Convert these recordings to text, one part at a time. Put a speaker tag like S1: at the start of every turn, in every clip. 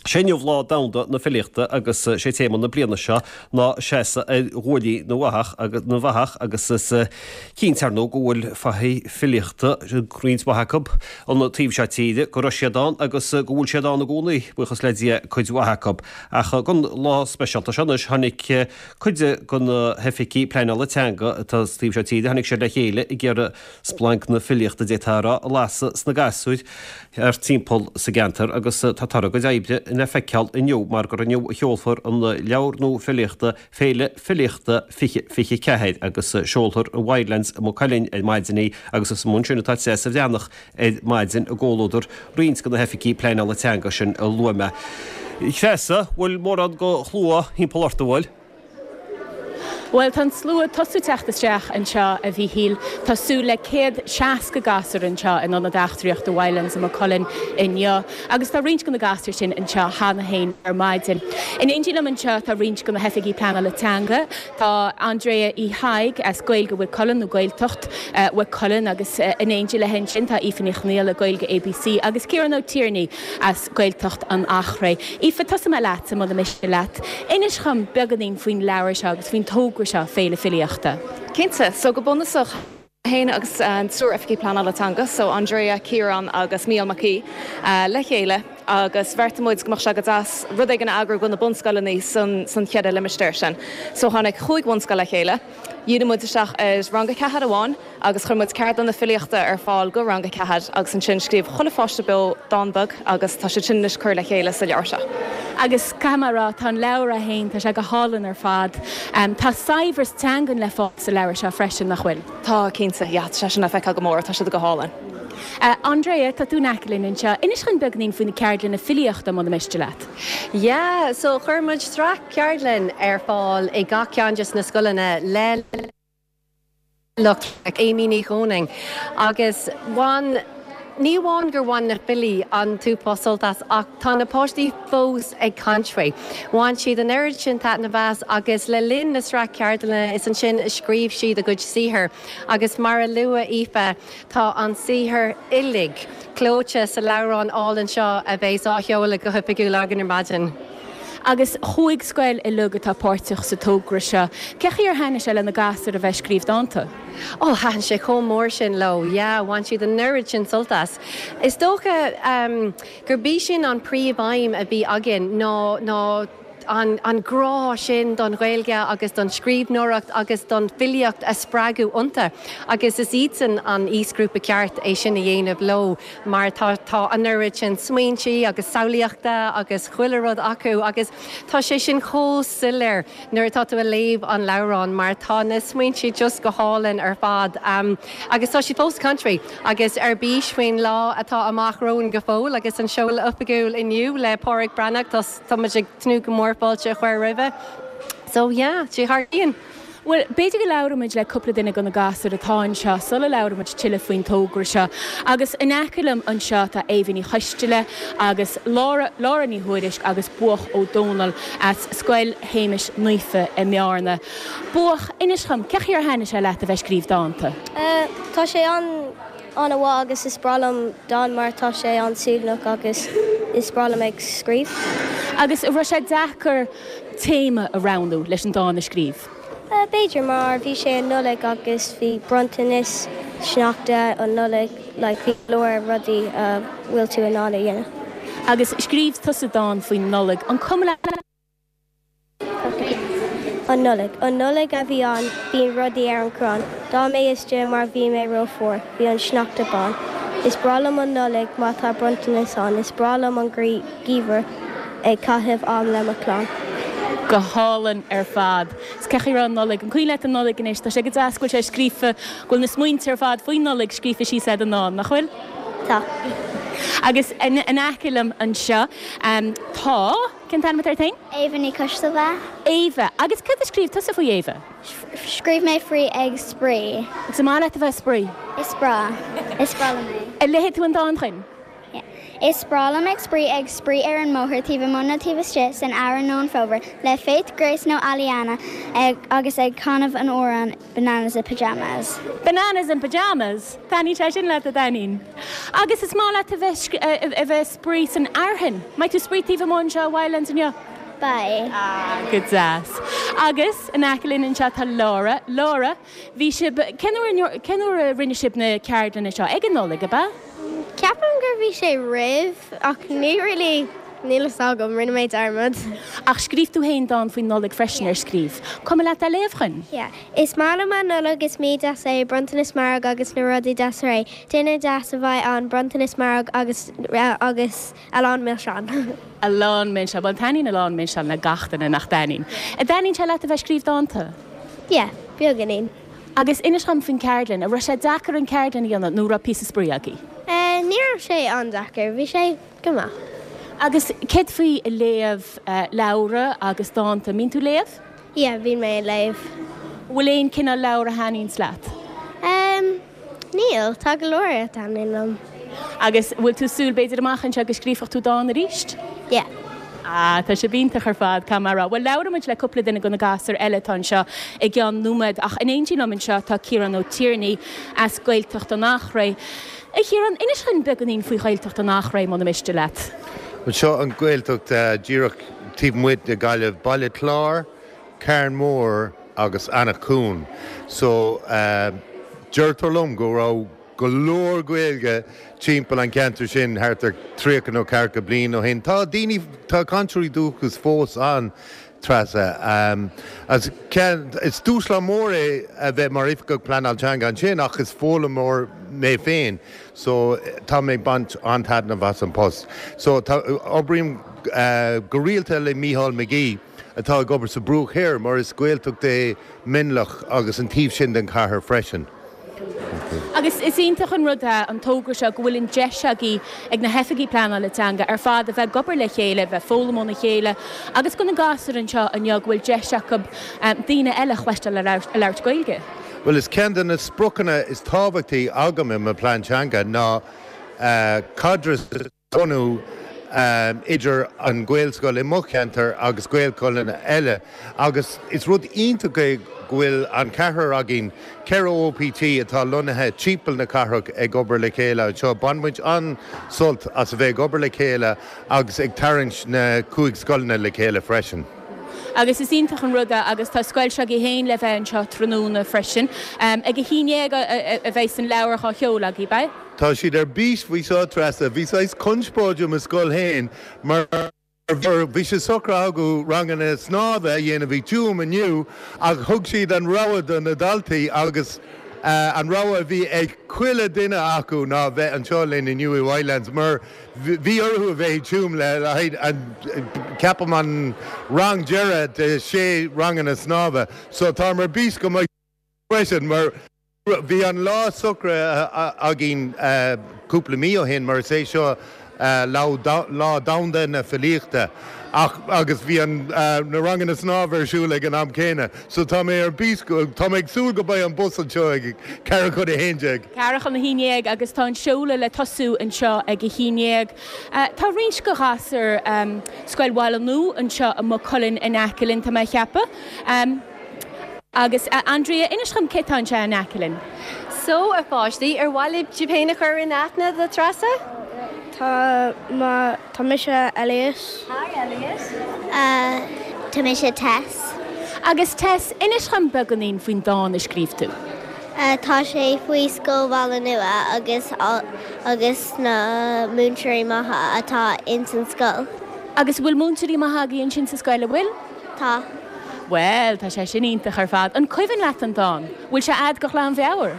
S1: Sé inniu Lá Domhanda na Filíochta agus sé téama na bliana seo ná seasamh ar ghuaillí na bhfathach agus na bhfathach agus is cinnte ar ndóigh go bhfuil fathaigh filíochta, roinnt mhaith acu, an taobh seo tíre, go raibh siad ann agus go bhfuil siad ann i gcónaí, buíochas le Dia, cuid mhaith acu. Ach don lá speisialta seo anois tháinig cuid de na hoifigigh pleanála teanga atá sa taobh seo tíre, tháinig siad le chéile ag iarraidh splanc na filíochta, d'fhéadfá a rá, a lasadh sna gasúir thart timpeall sa gceantar agus tá toradh a gcuid oibre le feiceáil inniu mar gur inniu a sheolfar an leabhar nua filíochta Féile Filíochta 2024 agus seolfar i Wildlands i Maigh Cuilinn ar maidin í agus is amuigh ansin atá Treasa Bhreathnach ar maidin i gcomhluadar roinnt de na hoifigigh pleanála teanga sin a luaigh mé. Treasa, bhfuil mórán de shlua thimpeall ort, an bhfuil?
S2: Bhuel, tá an slua ag tosú teacht isteach anseo, a Mhíchíl. Tá súil le 160 gasúr anseo in Ionad Eachtraíochta Wildlands i Maigh Cuilinn inniu agus tá roinnt de na gasúir sin anseo cheana féin ar maidin. In éindí liom anseo tá roinnt de na hoifigigh pleanála teanga. Tá Andrea Uí Thaidhg as Gaeilge Mhaigh Cuilinn nó Gaeltacht Mhaigh Cuilinn agus in éindí léi ansin tá Aoife Ní Chonghaile, Gaeilge ABC agus Ciarán Ó Tiarnaigh as Gaeltacht an Eachréidh. Aoife, tosóidh mé leatsa, muna miste leat. Inis dhom beagáinín faoin leabhar seo agus faoin togra seo, Féile Filíochta.
S3: Cinnte. So go bunúsach, mé féin agus an triúr Oifigigh Pleanála Teanga, so Andrea, Ciarán agus Mícheál Mac Aoidh, le chéile agus bheartaigh muid go mbeadh sé go deas rud éigin a eagrú do na bunscoileanna san san cheithre limistéar sin. So tháinig chúig bhunscoil le chéile, dhírigh muid isteach ar rang a ceathair amháin, Agus chuir muid ceardlanna filíochta ar fáil go rang a ceathair agus ansin scríobh chuile pháiste beo dán beag agus tá siad sin anois curtha le chéile sa leabhar seo.
S2: Agus caithfidh mé a rá, tá an leabhar é féin, tá sé go hálainn ar fad. Tá saibhreas teangan le fáil sa leabhar seo freisin, nach bhfuil?
S3: Tá, cinnte, yeah, tá sé sin le feiceáil go mór, tá siad go hálainn.
S2: Andrea, tá tú in aice linn anseo. Inis dhúinn beagainín faoi na ceardlanna filíochta, muna miste leat.
S4: Yeah, so chuir muid sraith ceardlann ar fáil i gach ceann de na scoileanna le. lucht Amy Ní Chónaing agus bhain, ní amháin gur bhain na filí an t-uafás sult as ach tá na páistí fós ag caint faoi. Bhain siad an oiread sin taitneamh as agus le linn na sraith ceardlanna is ansin a scríobh siad a gcuid saothar agus mar a luaigh Aoife tá an saothar uilig clóite sa leabhrán álainn seo a bheas á sheoladh go hoifigiúil againn ar maidin.
S2: Agus chúig scoil uilig atá páirteach sa togra seo. Cé chaoi ar thaitnigh sé le na gasúir a bheith ag scríobh dánta?
S4: Ó, thaitin sé chomh mór sin leo, yeah, bhain siad an oiread sin sult as. Is dócha gurb í sin an príomh-aidhm a bhí againn ná ná an an grá sin don Ghaeilge agus don scríbhneoireacht agus don filíocht a spreagadh iontu agus is iadsan an aoisghrúpa ceart é sin a dhéanamh leo. mar tá tá an oiread sin smaointí agus samhlaíochta agus chuile rud acu agus tá sé sin chomh soiléir nuair atá tú a léamh an leabhrán mar tá na smaointí just go hálainn ar fad agus tá siad fós ag caint faoi agus ar bís faoin lá atá amach romhainn go fóill agus an seoladh oifigiúil inniu le Páraic Breathnach tá tá muid ag tnúth go mór fáilte a chur roimhe so yeah sé thar cionn.
S2: Bhuel, b'fhéidir go labhróidh muid le cúpla duine de na gasúir atá anseo sula labhróidh muid tuilleadh faoin togra seo. Agus in aice liom anseo tá Éabha Ní Choisteala agus Lára, Lára Ní Thuairisg agus Buach Ó Dónaill as Scoil Shéamais Naofa i mBearna. Buach, inis dhom, cé chaoi ar thaitnigh sé leat a bheith ag scríobh dánta?
S5: Tá sé an an-mhaith agus is breá liom dán mar tá sé an-suaimhneach agus is breá liom ag scríobh.
S2: Agus an raibh sé deacair téama a roghnú leis an dán a scríobh?
S5: B'fhéidir, mar bhí sé an Nollaig agus bhí bronntanas, sneachta, an Nollaig, like bhí go leor rudaí a bhfuil tú in ann a dhéanamh.
S2: Agus scríobh tusa dán faoin Nollaig, an cuma leat?
S5: An Nollaig. An Nollaig a bhí ann, bíonn rudaí ar an gcrann. D'fhan mé istigh mar bhí mé ró-fhuar, bhí an sneachta bán. Is breá liom an Nollaig má tá bronntanas ann, is breá liom an geimhreadh. Ag caitheamh am le mo chlann.
S2: Go hálainn ar fad. Is cé chaoi raibh an Nollaig? An cuimhin leat an Nollaig anois? Tá sé go deas go bhfuil sé scríofa, go bhfuil na smaointe ar fad faoin Nollaig scríofa síos i ndán, nach bhfuil?
S5: Tá.
S2: Agus in aice liom anseo tá, cén t-ainm atá ort féin?
S6: Éabha Ní Choistealbha.
S2: Éabha. Agus cad a scríobh tusa faoi Éabha?
S6: Scríobh mé faoi ag spraoi.
S2: Agus an maith leat a bheith ag spraoi?
S6: Is breá. Is breá liom é.
S2: An léifidh tú an dán dúinn?
S6: Is breá liom ag spraoi ag spraoi ar an mbóthar taobh amuigh nó taobh istigh san earrach nó an fómhar le Faith, Grace nó Aliana agus ag canadh an amhrán Bananas in Pyjamas.
S2: Bananas in Pyjamas! Taitníonn sé sin leat, a Dainín. Agus is maith leat a bheith a bheith spraoi san fhearthainn. Mbeidh tú spraoi taobh amuigh anseo i Wildlands inniu?
S6: Beidh.
S2: Ah, go deas. Agus in aice linn anseo tá Laura. Laura, bhí sibh, cén uair, cén uair a rinne sibh na ceardlanna seo? Ag an Nollaig, ab ea?
S5: Ceapaim gur bhí sé roimh ach ní really, níl fhios agam, rinne mé dearmad.
S2: Ach scríobh tú féin dán faoin Nollaig freisin, ar scríobh? Cuma leat é a léamh chugainn?
S5: Yeah. Is maith liom an Nollaig, is mí deas é, bronntanas mairg agus na rudaí deasa réidh. Dinnéar deas a bheidh ann, bronntanas mairg agus agus a lán milseán.
S2: A lán milseán. Bhuel taitníonn a lán milseán le gach duine, nach dtaitníonn? An dtaitníonn sé leat a bheith ag scríobh dánta?
S5: Yeah, beagáinín.
S2: Agus inis dhom faoin ceardlann, an raibh sé deacair an ceardlann a dhéanamh nó raibh píosa spraoi agaibh?
S5: Ní raibh sé an-deacair, bhí sé go maith.
S2: Agus céard faoi léamh leabhra agus dánta, an mbíonn tú ag léamh?
S5: Yeah, bíonn mé ag léamh.
S2: Bhfuil aon cineál leabhar a thaitníonns leat?
S5: Níl, tá go leor a thaitníonn liom.
S2: Agus bhfuil tú ag súil b'fhéidir amach anseo go scríobhfadh tú dán arís?
S5: Yeah.
S2: Ah, tá sibh iontach ar fad, caithfidh mé a rá. Bhuel, labhróidh muid le cúpla duine de na gasúir eile atá anseo i gceann nóiméad, ach in éindí liom anseo tá Ciarán Ó Tiarnaigh as Gaeltacht an Eachréidh. A Chiaráin, inis dhúinn beagáinín faoi Ghaeltacht an Eachréidh, muna miste leat.
S7: Bhuel, seo an Ghaeltacht díreach taobh amuigh de Ghaillimh, Baile Chláir, Carn Mór agus Eanach Cuain. So, deirtear liom go raibh go leor Gaeilge timpeall an cheantair sin thart ar 30 nó ceathracha bliain ó shin. Tá daoine, tá cainteoirí dúchais fós ann, Treasa. As ceann, is dúshlán mór é a bheith mar Oifigeach Pleanáil Teanga ansin ach is foghlaimeoir mé féin so tá mé ag baint an-taitneamh as an post. So tá, oibrím go rialta le Mícheál McGee atá ag obair sa Bruach Thoir mar is Gaeltacht é Mionlach agus an taobh sin den chathair freisin.
S2: Agus is iontach an rud é an togra seo go bhfuil an deis agaibh ag na hoifigigh pleanála teanga ar fad a bheith ag obair le chéile, a bheith ag foghlaim óna chéile agus do na gasúir anseo inniu go bhfuil deis acu daoine eile a chloisteáil ag labhairt Gaeilge.
S7: Bhuel, is ceann de na spriocanna is tábhachtaí agam i mo phlean teanga ná caidreamh a bhunú idir an Ghaelscoil i mo cheantar agus Gaelscoileanna eile agus is rud iontach é go bhfuil an ceathrar againn, 4 OPT atá lonnaithe timpeall na cathrach ag obair le chéile anseo. Baineann muid an-sult as a bheith ag obair le chéile agus ag tarraingt na cúig scoileanna le chéile freisin.
S2: Agus is iontach an rud é agus tá scoil s'agaibh féin le bheith anseo tráthnóna freisin. Ag a haon dhéag a bheidh an leabhar á sheoladh agaibh, beidh?
S7: Tá siad ar bís faoi seo, Treasa. Bhí saghas conspóid i mo scoil féin mar bhí sé socraithe acu ranganna snámha a dhéanamh i dTuaim inniu ach thug siad an rogha do na daltaí agus an rogha a bhí ag chuile duine acu ná bheith anseo linn inniu i Wildlands mar bhí orthu a bheith i dTuaim le haghaidh an, ceapaim an rang deireadh de sé ranganna snámha. So táim ar bís go mbeidh freisin mar. Bhí an lá socraithe againn cúpla mí ó shin mar is é seo Lá Domhanda na Filíochta ach agus bhí an na ranganna snámha ar siúl ag an am céanna so tá mé ar bís tá mé ag súil go mbeidh an bus anseo ag ceathrú chun a haon déag.
S2: Ceathrú chun a haon déag agus tá an seoladh le tosú anseo ag a haon déag. Tá roinnt de ghasúir Scoil Bhaile Nua anseo i Maigh Cuilinn in aice linn tá mé a cheapadh. Agus, a Andrea, inis dhom cé tá anseo in aice linn.
S4: So, a pháistí, ar mhaith libh sibh féin a chur in aithne do Treasa?
S5: Tá, má, tá mise Elliot.
S4: Hi, Elliot.
S6: Tá mise Tess.
S2: Agus Tess, inis dhom beagáinín faoin dán a scríobh tú.
S6: Tá sé faoi Scoil Bhaile Nua agus agus na múinteoirí maithe atá ins an scoil.
S2: Agus bhfuil múinteoirí maithe agaibh ansin sa scoil, an bhfuil?
S6: Tá.
S2: Bhuel, tá sé sin iontach ar fad. An cuimhin leat an dán? Bhfuil sé a'd go ghlanmheabhair?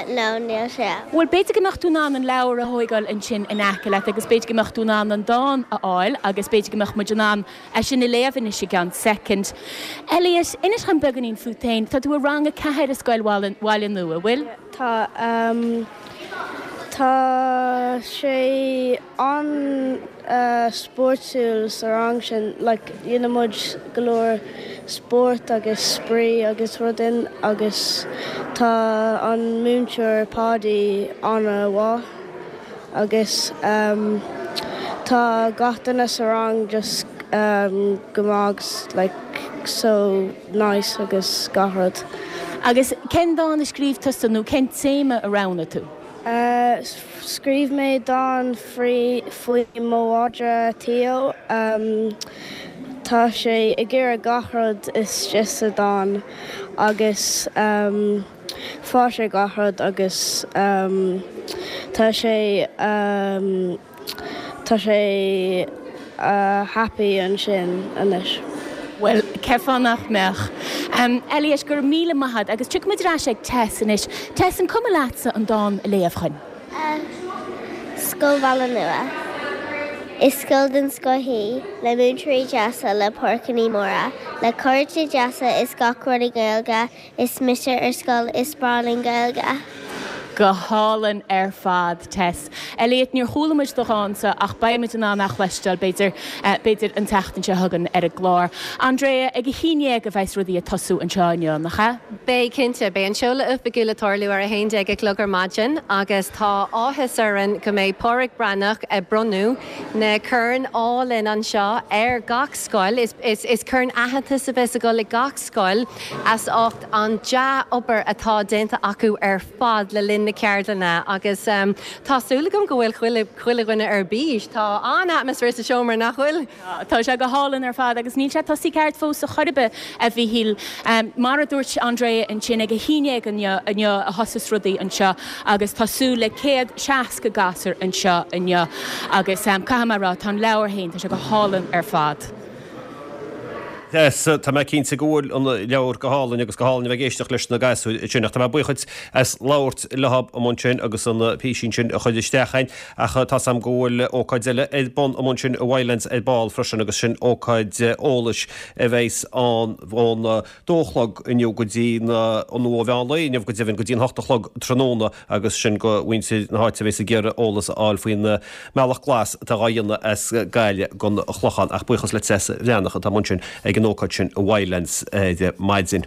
S6: No, níl sé.
S2: Bhuel, b'fhéidir go mbeadh tú in ann an leabhar a thóigeáil ansin in aice leat agus b'fhéidir go mbeadh tú in ann an dán a fháil agus b'fhéidir go mbeadh muid in ann é sin a léamh anois i gceann soicind. Elliot, inis dhom beagáinín fút féin. Tá tú i rang a ceathair i Scoil Bhaile Nua, bhfuil?
S5: Tá. Tá sé an. spóirtiúil sa rang sin like dhéanann muid go leor spórt agus spraoi agus rudaí agus tá an múinteoir Páidí an-mhaith agus ehm. Tá gach duine sa rang just go maith agus like so nice agus gach rud.
S2: Agus cén dán a scríobh tusa nó cén téama a roghnaigh tú?
S5: Scríobh mé dán faoi mo mhadra Theo. Tá sé ag iarraidh gach rud istigh sa dán agus fuair sé gach rud agus tá sé Tá sé happy ansin anois.
S2: Bhuel, cén fáth nach mbeadh? Elliot, go raibh míle maith agat agus tiocfaidh muid ar ais ag Tess anois. Tess, an cuma leatsa an dán a léamh chugainn?
S6: Scoil Bhaile Nua. Is scoil den scoth í, le múinteoirí deasa, le páirceanna móra, le cairde deasa is gach rud i nGaeilge Is mise ar scoil, is breá linn Gaeilge.
S2: Go hálainn ar fad, Tess. Elliot, níor chuala muid do dhánsa ach beidh muid in ann é a chloisteáil, b'fhéidir, b'fhéidir an tseachtain seo chugainn ar an gclár. Andrea, ag a haon dhéag a bheas rudaí ag tosú anseo inniu, nach ea?
S4: Beidh, cinnte. Beidh an seoladh oifigiúil ag tarlú ar 11 a chlog ar maidin agus tá áthas orainn go mbeidh Pádraig Breathnach ag bronnadh na coirn álainn anseo ar gach scoil. Is corn aitheantais a bheas ag dul ag gach scoil as ucht an dea-obair atá déanta acu ar fad le linn na ceardlainne agus tá súil agam go bhfuil chuile, chuile dhuine ar bís. Tá an-atmaisféar sa seomra, nach bhfuil?
S2: Tá sé go hálainn ar fad agus níl sé tosaithe ceart fós ar chor ar bith, a Mhíchíl. Mar a dúirt Andrea ansin, ag a haon dhéag inniu, inniu a thosas rudaí anseo agus tá súil le 160 gasúr anseo inniu agus caithfidh mé a rá, tá an leabhar féin, tá sé go hálainn ar fad.
S1: Yes, tá mé cinnte go bhfuil an leabhar go hálainn agus go hálainn a bheith ag éisteacht leis na gasúir ansin ach tá mé buíoch dhuit as labhairt leo amuigh ansin agus an písín sin a chur isteach a'inn ach tá 's a'm go bhfuil ócáid eile ar bun amuigh ansin i Wildlands ar ball freisin agus sin ócáid eolais a bheas ann ón dó a chlog inniu go dtí na, nó ó mheán lae inniu go deimhin go dtí an hocht a chlog tráthnóna agus sin go mhuintir na háite a bheas ag iarraidh eolas a fháil faoin mbealach glas atá dhá dhéanamh as Gaillimh gon Chlochán. Ach buíochas le Treasa Bhreathnach atá amuigh ansin ag an ócáid sin i Wildlands ar maidin.